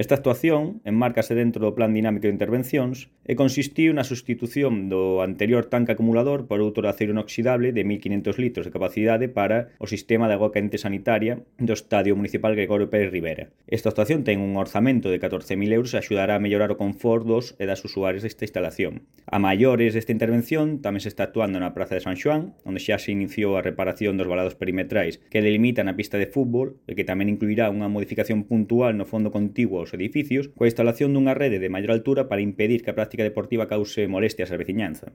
Esta actuación enmárcase dentro do Plan Dinámico de Intervencións e consistiu na sustitución do anterior tanque acumulador por outro de acero inoxidable de 1.500 litros de capacidade para o sistema de agua quente sanitaria do Estadio Municipal Gregorio Pérez Rivera. Esta actuación ten un orzamento de 14.000 euros e axudará a mellorar o confort dos e das usuarios desta instalación. A maiores desta intervención tamén se está actuando na Praza de San Xoán, onde xa se iniciou a reparación dos valados perimetrais que delimitan a pista de fútbol e que tamén incluirá unha modificación puntual no fondo contiguo aos edificios coa instalación dunha rede de maior altura para impedir que a práctica deportiva cause molestias á veciñanza.